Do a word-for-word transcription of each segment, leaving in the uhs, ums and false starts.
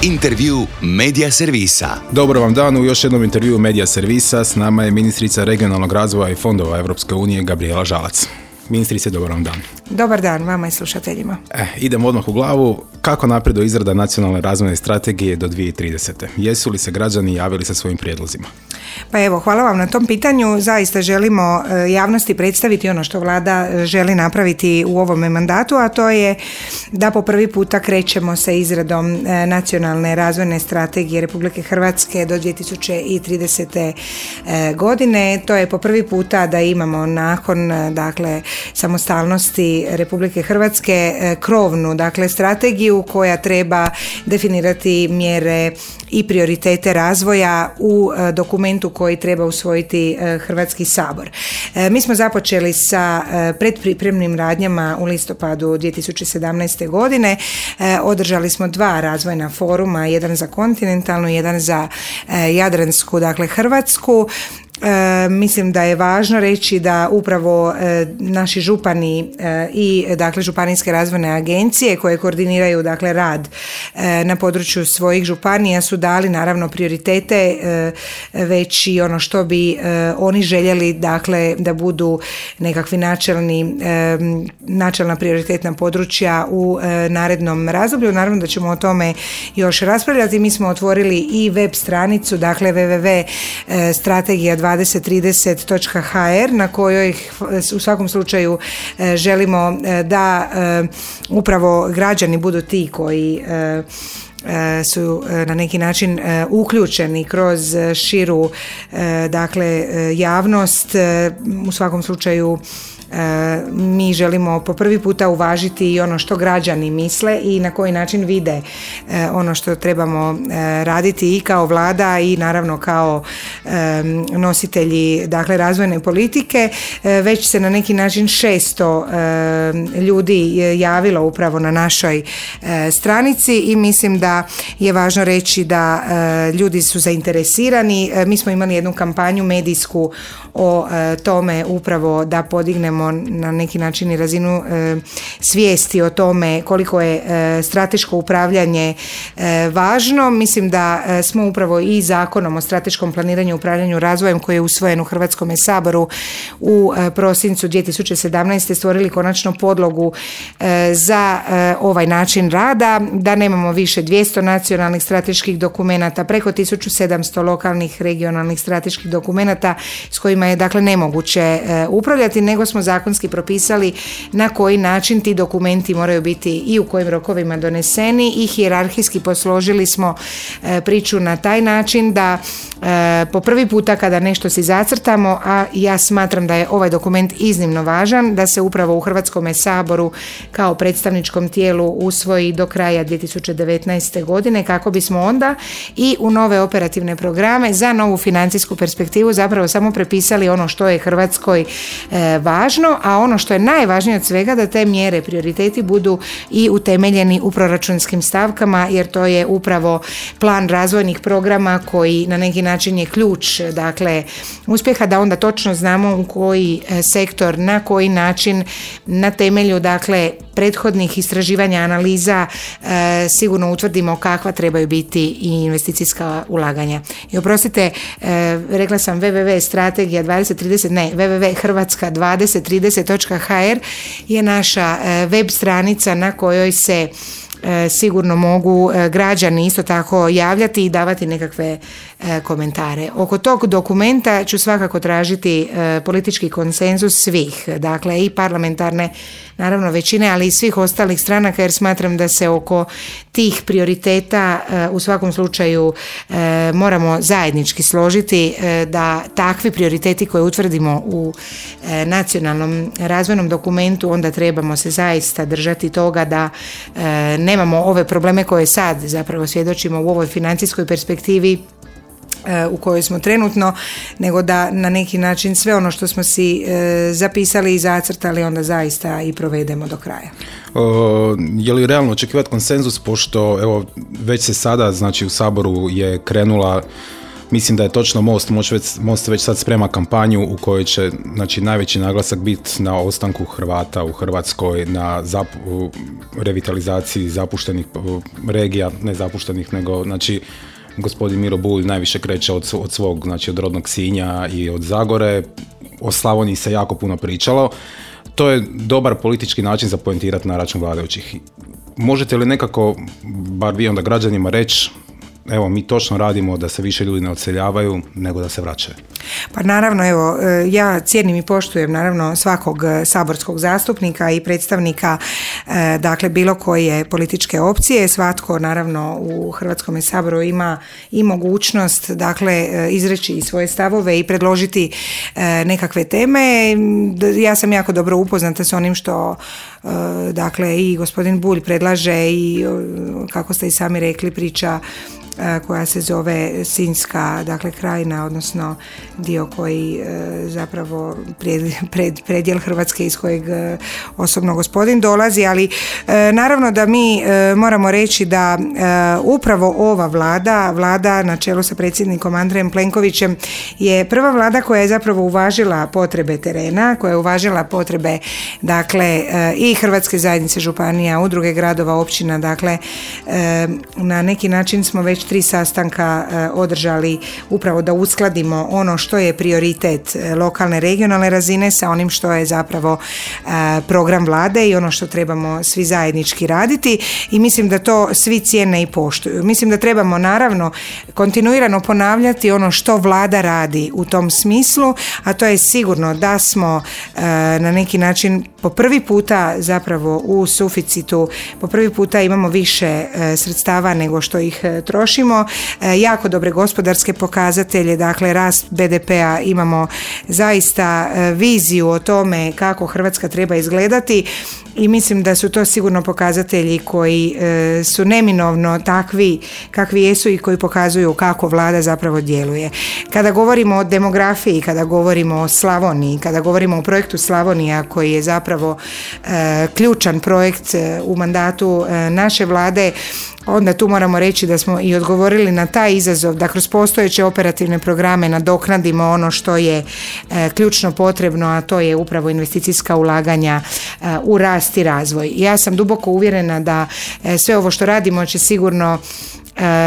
Intervju Medija Servisa. Dobro vam dan u još jednom intervju Medija Servisa. S nama je ministrica regionalnog razvoja i fondova Europske unije Gabrijela Žalac. Ministrice, dobar vam dan. Dobar dan vama i slušateljima. E, idemo odmah u glavu. Kako napreduje izrada nacionalne razvojne strategije do dvije tisuće tridesete? Jesu li se građani javili sa svojim prijedlozima? Pa evo, hvala vam na tom pitanju. Zaista želimo javnosti predstaviti ono što vlada želi napraviti u ovome mandatu, a to je da po prvi puta krećemo sa izradom nacionalne razvojne strategije Republike Hrvatske do dvije tisuće tridesete godine. To je po prvi puta da imamo nakon dakle samostalnosti Republike Hrvatske krovnu dakle strategiju koja treba definirati mjere i prioritete razvoja u dokumentu koji treba usvojiti Hrvatski sabor. Mi smo započeli sa predpripremnim radnjama u listopadu dvije tisuće sedamnaeste. godine. Održali smo dva razvojna foruma, jedan za kontinentalnu, jedan za jadransku, dakle Hrvatsku. E, mislim da je važno reći da upravo e, naši župani e, i dakle županijske razvojne agencije koje koordiniraju dakle rad e, na području svojih županija su dali naravno prioritete e, već i ono što bi e, oni željeli dakle da budu nekakvi načelni e, načelna prioritetna područja u e, narednom razdoblju. Naravno da ćemo o tome još raspravljati. Mi smo otvorili i web stranicu dakle w w w točka strategija dvadeset trideset točka h r na kojoj u svakom slučaju želimo da upravo građani budu ti koji su na neki način uključeni kroz širu dakle javnost. U svakom slučaju mi želimo po prvi puta uvažiti i ono što građani misle i na koji način vide ono što trebamo raditi i kao vlada i naravno kao nositelji dakle razvojne politike. Već se na neki način šesto ljudi javilo upravo na našoj stranici i mislim da je važno reći da ljudi su zainteresirani. Mi smo imali jednu kampanju medijsku o tome upravo da podignemo na neki način i razinu e, svijesti o tome koliko je e, strateško upravljanje e, važno. Mislim da e, smo upravo i zakonom o strateškom planiranju i upravljanju razvojem koji je usvojen u Hrvatskom saboru u e, prosincu dvije tisuće sedamnaeste. stvorili konačno podlogu e, za e, ovaj način rada, da nemamo više dvjesto nacionalnih strateških dokumenata, preko tisuću sedamsto lokalnih regionalnih strateških dokumenata s kojima je dakle nemoguće e, upravljati, nego smo zakonski propisali na koji način ti dokumenti moraju biti i u kojim rokovima doneseni i hijerarhijski posložili smo e, priču na taj način da e, po prvi puta kada nešto si zacrtamo, a ja smatram da je ovaj dokument iznimno važan, da se upravo u Hrvatskom saboru kao predstavničkom tijelu usvoji do kraja dvije tisuće devetnaeste. godine kako bismo onda i u nove operativne programe za novu financijsku perspektivu zapravo samo prepisali ono što je Hrvatskoj e, važno, a ono što je najvažnije od svega da te mjere, prioriteti budu i utemeljeni u proračunskim stavkama, jer to je upravo plan razvojnih programa koji na neki način je ključ dakle uspjeha, da onda točno znamo u koji sektor, na koji način, na temelju dakle prethodnih istraživanja, analiza e, sigurno utvrdimo kakva trebaju biti i investicijska ulaganja. I oprostite, e, rekla sam w w w točka strategija dvadeset trideset, ne, w w w točka hrvatska dvadeset trideset točka h r je naša e, web stranica na kojoj se E, sigurno mogu e, građani isto tako javljati i davati nekakve e, komentare. Oko tog dokumenta ću svakako tražiti e, politički konsenzus svih, dakle i parlamentarne naravno većine, ali i svih ostalih stranaka, jer smatram da se oko tih prioriteta e, u svakom slučaju e, moramo zajednički složiti e, da takvi prioriteti koje utvrdimo u e, nacionalnom razvojnom dokumentu, onda trebamo se zaista držati toga da e, nemamo ove probleme koje sad zapravo svjedočimo u ovoj financijskoj perspektivi u kojoj smo trenutno, nego da na neki način sve ono što smo si e, zapisali i zacrtali onda zaista i provedemo do kraja. O, je li realno očekivati konsenzus, pošto evo već se sada znači u Saboru je krenula Mislim da je točno Most, Most već sad sprema kampanju u kojoj će, znači, najveći naglasak biti na ostanku Hrvata u Hrvatskoj, na zap, revitalizaciji zapuštenih regija, ne zapuštenih, nego, znači, gospodin Miro Bulj najviše kreće od, od svog, znači od rodnog Sinja i od Zagore. O Slavoniji se jako puno pričalo. To je dobar politički način za poentirati na račun vladajućih. Možete li nekako, bar vi onda građanima, reći, evo, mi točno radimo da se više ljudi ne odseljavaju nego da se vraćaju? Pa naravno, evo, ja cijenim i poštujem naravno svakog saborskog zastupnika i predstavnika, dakle, bilo koje političke opcije. Svatko naravno u Hrvatskom saboru ima i mogućnost, dakle, izreći i svoje stavove i predložiti nekakve teme. Ja sam jako dobro upoznata s onim što, dakle, i gospodin Bulj predlaže i, kako ste i sami rekli, priča koja se zove Sinjska, dakle, krajina, odnosno dio koji zapravo pred, pred, predjel Hrvatske iz kojeg osobno gospodin dolazi, ali naravno da mi moramo reći da upravo ova vlada, vlada na čelu sa predsjednikom Andrejem Plenkovićem, je prva vlada koja je zapravo uvažila potrebe terena, koja je uvažila potrebe, dakle, i Hrvatske zajednice županija, udruge gradova, općina, dakle, na neki način smo već tri sastanka održali upravo da uskladimo ono što je prioritet lokalne, regionalne razine sa onim što je zapravo program vlade i ono što trebamo svi zajednički raditi, i mislim da to svi cijene i poštuju. Mislim da trebamo naravno kontinuirano ponavljati ono što vlada radi u tom smislu, a to je sigurno da smo na neki način po prvi puta zapravo u suficitu, po prvi puta imamo više sredstava nego što ih trošimo. Jako dobre gospodarske pokazatelje, dakle rast be de pea, imamo zaista viziju o tome kako Hrvatska treba izgledati i mislim da su to sigurno pokazatelji koji su neminovno takvi kakvi jesu i koji pokazuju kako vlada zapravo djeluje. Kada govorimo o demografiji, kada govorimo o Slavoniji, kada govorimo o projektu Slavonija koji je zapravo ključan projekt u mandatu naše vlade, onda tu moramo reći da smo i odgovorili na taj izazov da kroz postojeće operativne programe nadoknadimo ono što je e, ključno potrebno, a to je upravo investicijska ulaganja e, u rast i razvoj. Ja sam duboko uvjerena da e, sve ovo što radimo će sigurno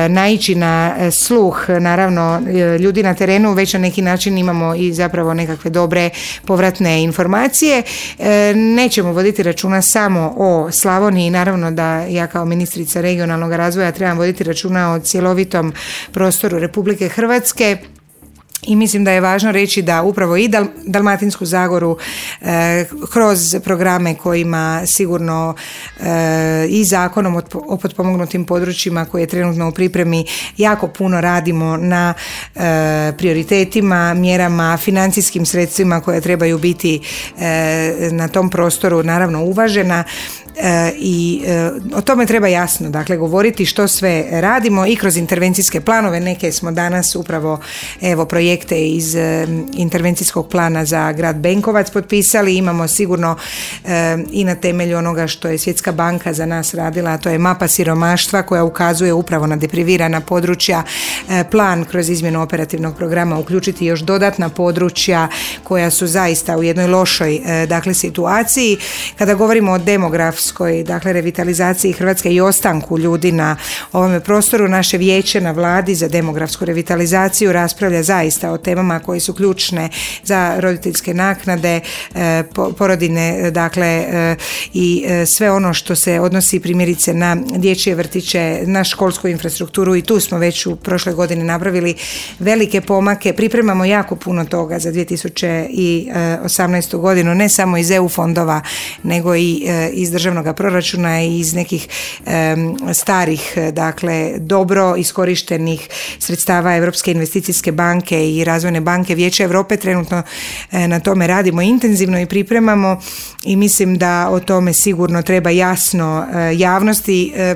naići na sluh, naravno, ljudi na terenu. Već na neki način imamo i zapravo nekakve dobre povratne informacije. Nećemo voditi računa samo o Slavoniji, naravno da ja kao ministrica regionalnog razvoja trebam voditi računa o cjelovitom prostoru Republike Hrvatske. I mislim da je važno reći da upravo i Dal- Dalmatinsku Zagoru e, kroz programe kojima sigurno e, i zakonom o, o potpomognutim područjima koji je trenutno u pripremi jako puno radimo na e, prioritetima, mjerama, financijskim sredstvima koja trebaju biti e, na tom prostoru naravno uvažena. E, i e, o tome treba jasno, dakle, govoriti što sve radimo i kroz intervencijske planove. Neke smo danas upravo, evo, projekte iz e, intervencijskog plana za grad Benkovac potpisali. Imamo sigurno e, i na temelju onoga što je Svjetska banka za nas radila, a to je mapa siromaštva koja ukazuje upravo na deprivirana područja, e, plan kroz izmjenu operativnog programa uključiti još dodatna područja koja su zaista u jednoj lošoj e, dakle situaciji. Kada govorimo o demografskoj, dakle, revitalizaciji Hrvatske i ostanku ljudi na ovome prostoru, naše vijeće na vladi za demografsku revitalizaciju raspravlja zaista o temama koje su ključne za roditeljske naknade, porodine, dakle, i sve ono što se odnosi primjerice na dječje vrtiće, na školsku infrastrukturu, i tu smo već u prošle godine napravili velike pomake. Pripremamo jako puno toga za dvije tisuće osamnaestu godinu, ne samo iz E U fondova, nego i iz državnog proračuna i iz nekih um, starih, dakle, dobro iskorištenih sredstava Europske investicijske banke i razvojne banke Vijeća Europe. Trenutno e, na tome radimo intenzivno i pripremamo, i mislim da o tome sigurno treba jasno e, javnosti e,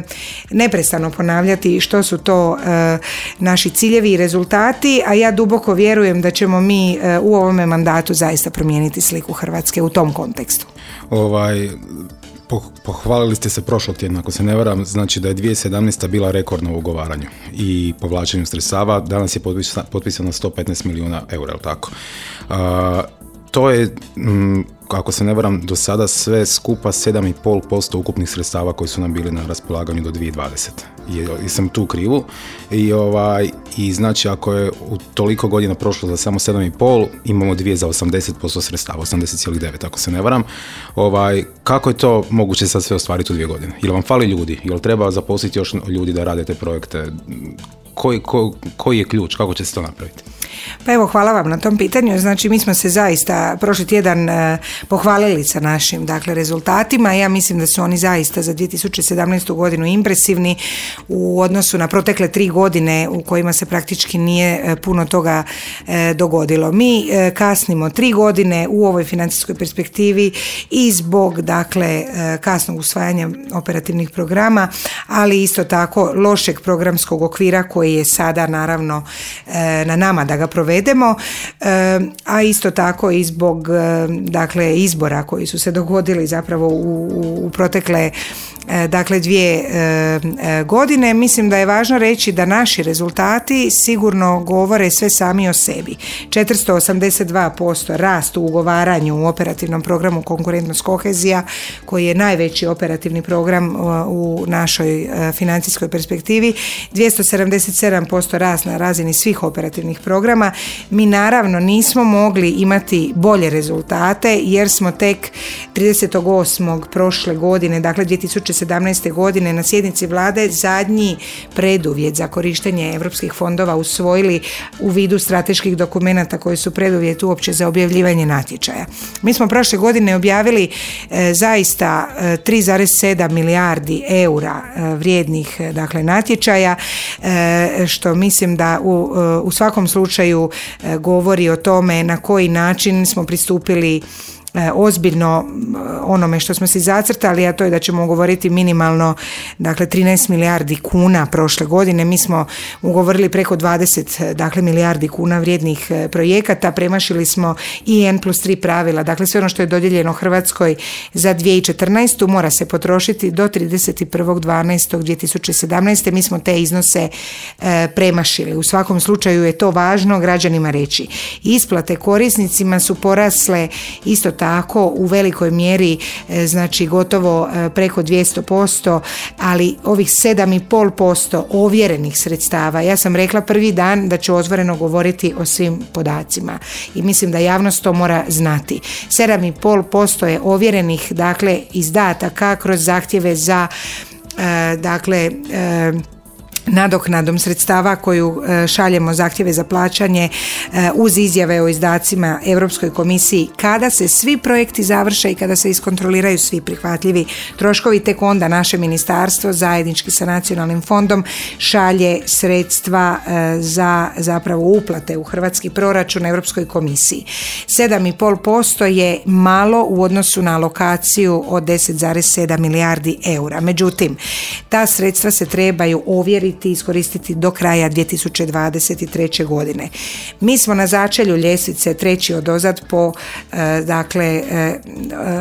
neprestano ponavljati što su to e, naši ciljevi i rezultati, a ja duboko vjerujem da ćemo mi e, u ovome mandatu zaista promijeniti sliku Hrvatske u tom kontekstu. Ovaj Pohvalili ste se prošlog tjedna, ako se ne varam, znači da je dvije tisuće sedamnaesta bila rekordna u ugovaranju i povlačenju sredstava, danas je potpisano sto petnaest milijuna eura, je li tako? Uh, to je, m, ako se ne varam, do sada sve skupa sedam zarez pet posto ukupnih sredstava koji su nam bili na raspolaganju do dvije tisuće dvadesete. I, i sam tu krivu. I, ovaj, I znači ako je u toliko godina prošlo za samo sedam zarez pet, imamo dvije za osamdeset posto sredstava, osamdeset zarez devet ako se ne varam. Ovaj, kako je to moguće sad sve ostvariti u dvije godine? Jel vam fali ljudi? Jel treba zaposliti još ljudi da rade te projekte? Koji, ko, koji je ključ? Kako će se to napraviti? Pa evo, hvala vam na tom pitanju. Znači, mi smo se zaista prošli tjedan eh, pohvalili sa našim dakle, rezultatima. Ja mislim da su oni zaista za dvije tisuće sedamnaestu godinu impresivni u odnosu na protekle tri godine u kojima se praktički nije eh, puno toga eh, dogodilo. Mi eh, kasnimo tri godine u ovoj financijskoj perspektivi i zbog dakle, eh, kasnog usvajanja operativnih programa, ali isto tako lošeg programskog okvira koji je sada naravno eh, na nama da ga provedemo, a isto tako i zbog dakle izbora koji su se dogodili zapravo u, u protekle dakle dvije godine. Mislim da je važno reći da naši rezultati sigurno govore sve sami o sebi. četiristo osamdeset dva posto rast u ugovaranju u operativnom programu Konkurentnost kohezija, koji je najveći operativni program u našoj financijskoj perspektivi, dvjesto sedamdeset sedam posto rast na razini svih operativnih programa. Mi naravno nismo mogli imati bolje rezultate jer smo tek tridesetog osmog prošle godine, dakle dvije tisuće sedamnaeste godine na sjednici vlade zadnji preduvjet za korištenje europskih fondova usvojili u vidu strateških dokumenata koji su preduvjet uopće za objavljivanje natječaja. Mi smo prošle godine objavili e, zaista e, tri zarez sedam milijardi eura e, vrijednih dakle natječaja, e, što mislim da u, e, u svakom slučaju e, govori o tome na koji način smo pristupili ozbiljno onome što smo si zacrtali, a to je da ćemo ugovoriti minimalno dakle trinaest milijardi kuna prošle godine. Mi smo ugovorili preko dvadeset dakle milijardi kuna vrijednih projekata, premašili smo i en plus tri pravila, dakle sve ono što je dodijeljeno Hrvatskoj za dvije tisuće četrnaestu mora se potrošiti do trideset prvog dvanaestog dvije tisuće sedamnaeste. Mi smo te iznose e, premašili. U svakom slučaju je to važno građanima reći. Isplate korisnicima su porasle isto tako tako u velikoj mjeri, znači gotovo preko dvjesto posto, ali ovih sedam zarez pet posto ovjerenih sredstava, ja sam rekla prvi dan da ću otvoreno govoriti o svim podacima i mislim da javnost to mora znati. sedam zarez pet posto je ovjerenih dakle izdataka kroz zahtjeve za dakle nadoknadom sredstava koju šaljemo zahtjeve za plaćanje uz izjave o izdacima Europskoj komisiji. Kada se svi projekti završe i kada se iskontroliraju svi prihvatljivi troškovi, tek onda naše ministarstvo zajednički sa nacionalnim fondom šalje sredstva za zapravo uplate u hrvatski proračun Europskoj komisiji. sedam zarez pet posto je malo u odnosu na alokaciju od deset zarez sedam milijardi eura. Međutim, ta sredstva se trebaju ovjeriti i iskoristiti do kraja dvije tisuće dvadeset treće godine. Mi smo na začelju ljestvice treći odozad po e, dakle e,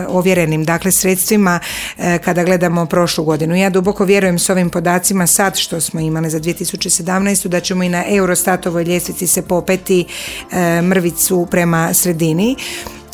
ovjerenim dakle sredstvima e, kada gledamo prošlu godinu. Ja duboko vjerujem s ovim podacima sad što smo imali za dvije tisuće sedamnaestu da ćemo i na Eurostatovoj ljestvici se popeti e, mrvicu prema sredini.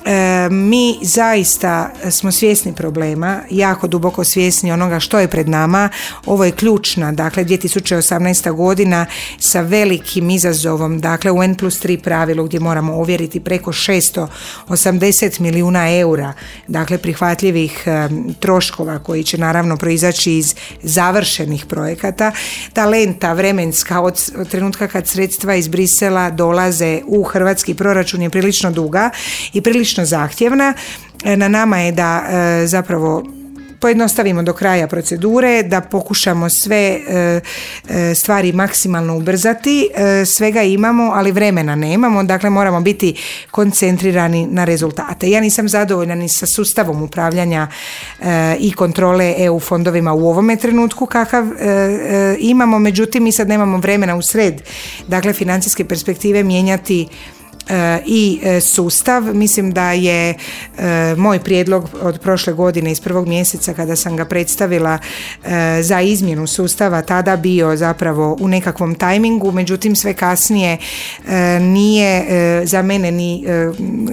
E, mi zaista smo svjesni problema, jako duboko svjesni onoga što je pred nama. Ovo je ključna, dakle dvije tisuće osamnaesta godina sa velikim izazovom, dakle u en plus tri pravilu gdje moramo ovjeriti preko šesto osamdeset milijuna eura, dakle prihvatljivih e, troškova koji će naravno proizaći iz završenih projekata. Ta lenta vremenska od, od trenutka kad sredstva iz Brisela dolaze u hrvatski proračun je prilično duga i prilično zahtjevna. Na nama je da e, zapravo pojednostavimo do kraja procedure, da pokušamo sve e, e, stvari maksimalno ubrzati. E, svega imamo, ali vremena nemamo, dakle moramo biti koncentrirani na rezultate. Ja nisam zadovoljna ni sa sustavom upravljanja e, i kontrole E U fondovima u ovome trenutku kakav e, e, imamo, međutim mi sad nemamo vremena u sred dakle financijske perspektive mijenjati i sustav. Mislim da je moj prijedlog od prošle godine iz prvog mjeseca kada sam ga predstavila za izmjenu sustava tada bio zapravo u nekakvom tajmingu, međutim sve kasnije nije za mene ni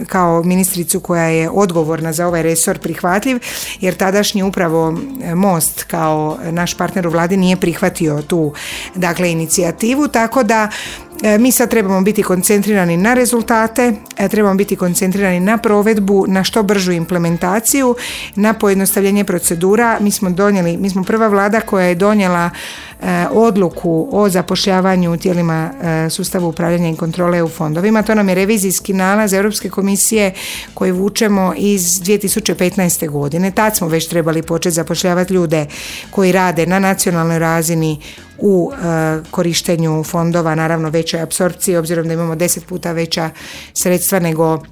kao ministricu koja je odgovorna za ovaj resor prihvatljiv, jer tadašnji upravo Most kao naš partner u vladi nije prihvatio tu dakle inicijativu, tako da mi sad trebamo biti koncentrirani na rezultate, trebamo biti koncentrirani na provedbu, na što bržu implementaciju, na pojednostavljenje procedura. Mi smo donijeli, mi smo prva vlada koja je donijela e, odluku o zapošljavanju u tijelima e, sustava upravljanja i kontrole E U fondovima. To nam je revizijski nalaz Europske komisije koji vučemo iz dvije tisuće petnaeste. godine. Tad smo već trebali početi zapošljavati ljude koji rade na nacionalnoj razini u e, korištenju fondova, naravno većoj apsorpciji, obzirom da imamo deset puta veća sredstva nego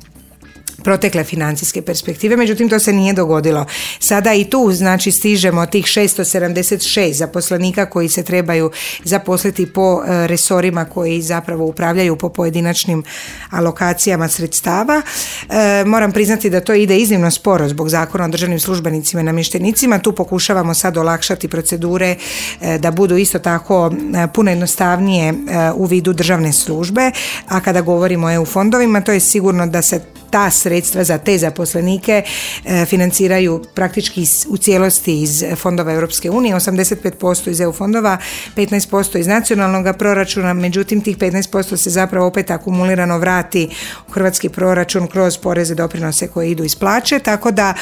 protekle financijske perspektive, međutim to se nije dogodilo. Sada i tu znači stižemo tih šesto sedamdeset šest zaposlenika koji se trebaju zaposliti po e, resorima koji zapravo upravljaju po pojedinačnim alokacijama sredstava. E, moram priznati da to ide iznimno sporo zbog Zakona o državnim službenicima i namještenicima. Tu pokušavamo sad olakšati procedure e, da budu isto tako e, puno jednostavnije e, u vidu državne službe, a kada govorimo o E U fondovima to je sigurno da se ta sredstva za te zaposlenike e, financiraju praktički u cijelosti iz fondova Europske unije, osamdeset pet posto iz E U fondova, petnaest posto iz nacionalnog proračuna, međutim tih petnaest posto se zapravo opet akumulirano vrati u hrvatski proračun kroz poreze, doprinose koje idu iz plaće, tako da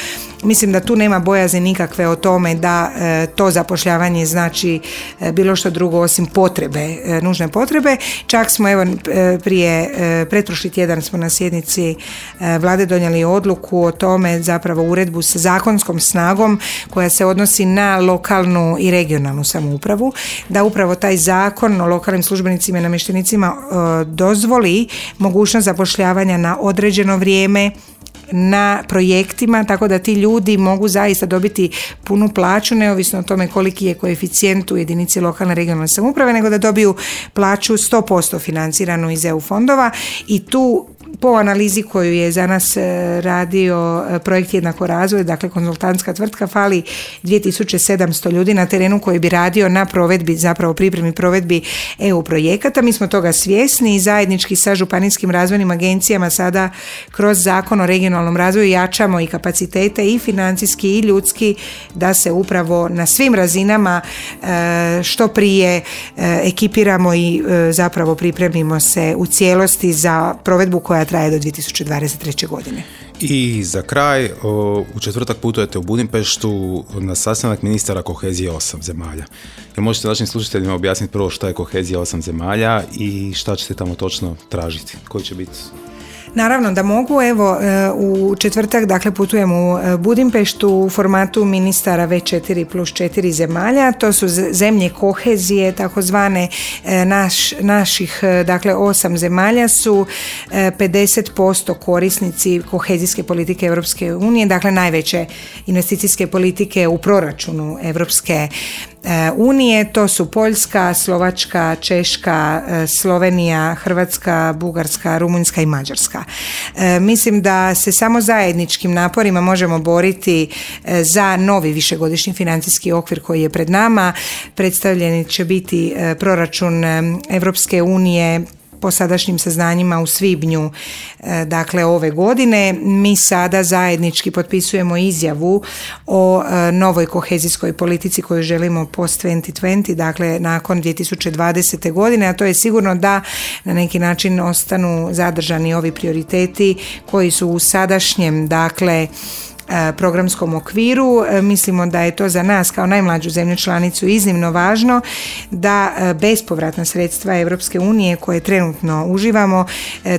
mislim da tu nema bojazni nikakve o tome da e, to zapošljavanje znači e, bilo što drugo osim potrebe, e, nužne potrebe. Čak smo evo e, prije, e, pretprošli tjedan smo na sjednici Vlade donijeli odluku o tome, zapravo uredbu sa zakonskom snagom koja se odnosi na lokalnu i regionalnu samoupravu, da upravo taj zakon o lokalnim službenicima i namještenicima e, dozvoli mogućnost zapošljavanja na određeno vrijeme na projektima, tako da ti ljudi mogu zaista dobiti punu plaću neovisno o tome koliki je koeficijent u jedinici lokalne regionalne samouprave, nego da dobiju plaću sto posto financiranu iz E U fondova i tu po analizi koju je za nas radio projekt Jednako razvoj, dakle konzultantska tvrtka, fali dvije tisuće sedamsto ljudi na terenu koji bi radio na provedbi, zapravo pripremi provedbi E U projekata. Mi smo toga svjesni i zajednički sa županijskim razvojnim agencijama sada kroz Zakon o regionalnom razvoju jačamo i kapacitete i financijski i ljudski da se upravo na svim razinama što prije ekipiramo i zapravo pripremimo se u cijelosti za provedbu koja traje do dvije tisuće dvadeset treće. godine. I za kraj, u četvrtak putujete u Budimpeštu na sastanak ministara kohezije osam zemalja. Jel možete našim slušateljima objasniti prvo šta je kohezija osam zemalja i šta ćete tamo točno tražiti? Koji će biti? Naravno da mogu, evo u četvrtak dakle putujem u Budimpeštu u formatu ministara V četiri plus četiri zemalja, to su zemlje kohezije, takozvane naš, naših dakle osam zemalja su pedeset posto korisnici kohezijske politike Europske unije, dakle najveće investicijske politike u proračunu Europske unije, to su Poljska, Slovačka, Češka, Slovenija, Hrvatska, Bugarska, Rumunjska i Mađarska. E, mislim da se samo zajedničkim naporima možemo boriti za novi višegodišnji financijski okvir koji je pred nama. Predstavljeni će biti proračun Europske unije po sadašnjim saznanjima u svibnju dakle ove godine. Mi sada zajednički potpisujemo izjavu o novoj kohezijskoj politici koju želimo post dvije tisuće dvadeset, dakle nakon dvije tisuće dvadesete. godine, a to je sigurno da na neki način ostanu zadržani ovi prioriteti koji su u sadašnjem dakle programskom okviru. Mislimo da je to za nas kao najmlađu zemlju članicu iznimno važno da bespovratna sredstva Europske unije koje trenutno uživamo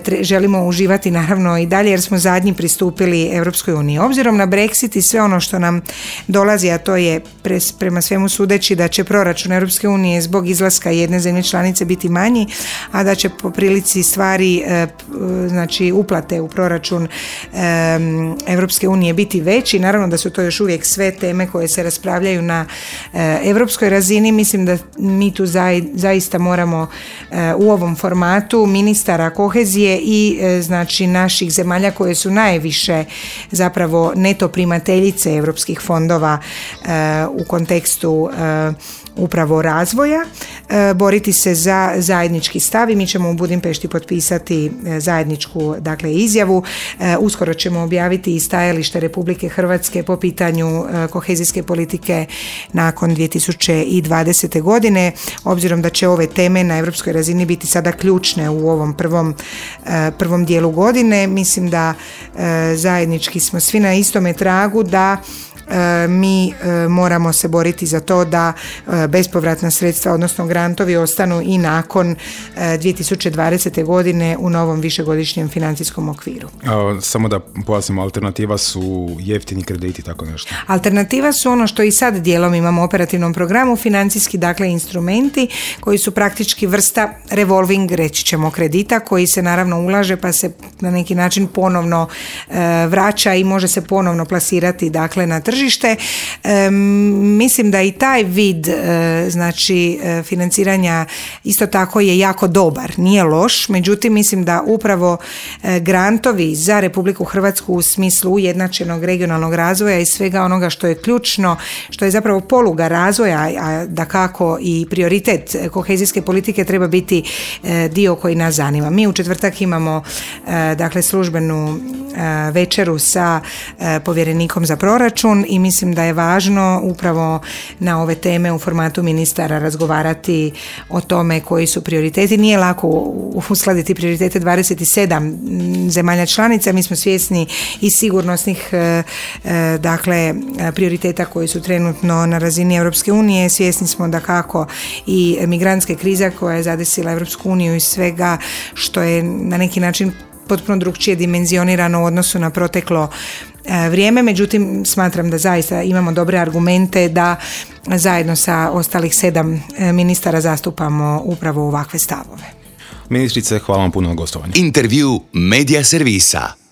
tre, želimo uživati naravno i dalje jer smo zadnji pristupili Europskoj uniji. Obzirom na Brexit i sve ono što nam dolazi, a to je pres, prema svemu sudeći da će proračun Europske unije zbog izlaska jedne zemlje članice biti manji, a da će po prilici stvari znači uplate u proračun Europske unije biti veći. Naravno da su to još uvijek sve teme koje se raspravljaju na e, europskoj razini. Mislim da mi tu zai, zaista moramo e, u ovom formatu ministara kohezije i e, znači naših zemalja koje su najviše zapravo neto primateljice europskih fondova e, u kontekstu e, upravo razvoja, e, boriti se za zajednički stav i mi ćemo u Budimpešti potpisati e, zajedničku dakle izjavu. E, uskoro ćemo objaviti i stajalište Republike Hrvatske po pitanju e, kohezijske politike nakon dvije tisuće dvadesete. godine, obzirom da će ove teme na europskoj razini biti sada ključne u ovom prvom, e, prvom dijelu godine. Mislim da e, zajednički smo svi na istome tragu da E, mi e, moramo se boriti za to da e, bespovratna sredstva, odnosno grantovi, ostanu i nakon e, dvije tisuće dvadesete. godine u novom višegodišnjem financijskom okviru. A, samo da pojasnimo, alternativa su jeftini krediti, tako nešto? Alternativa su ono što i sad dijelom imamo u operativnom programu, financijski dakle instrumenti koji su praktički vrsta revolving, reći ćemo, kredita koji se naravno ulaže pa se na neki način ponovno e, vraća i može se ponovno plasirati dakle na tržište. tržište. E, mislim da i taj vid e, znači e, financiranja isto tako je jako dobar, nije loš, međutim mislim da upravo e, grantovi za Republiku Hrvatsku u smislu ujednačenog regionalnog razvoja i svega onoga što je ključno, što je zapravo poluga razvoja, a dakako i prioritet kohezijske politike treba biti e, dio koji nas zanima. Mi u četvrtak imamo e, dakle službenu e, večeru sa e, povjerenikom za proračun i mislim da je važno upravo na ove teme u formatu ministara razgovarati o tome koji su prioriteti. Nije lako uskladiti prioritete dvadeset sedam zemalja članica, mi smo svjesni i sigurnosnih dakle prioriteta koji su trenutno na razini Europske unije, svjesni smo da kako i migrantske krize koja je zadesila Europsku uniju i svega što je na neki način potpuno drugčije dimenzionirano u odnosu na proteklo vrijeme, međutim smatram da zaista imamo dobre argumente da zajedno sa ostalih sedam ministara zastupamo upravo ovakve stavove. Ministrice, hvala vam puno na gostovanju. Intervju Media Servisa.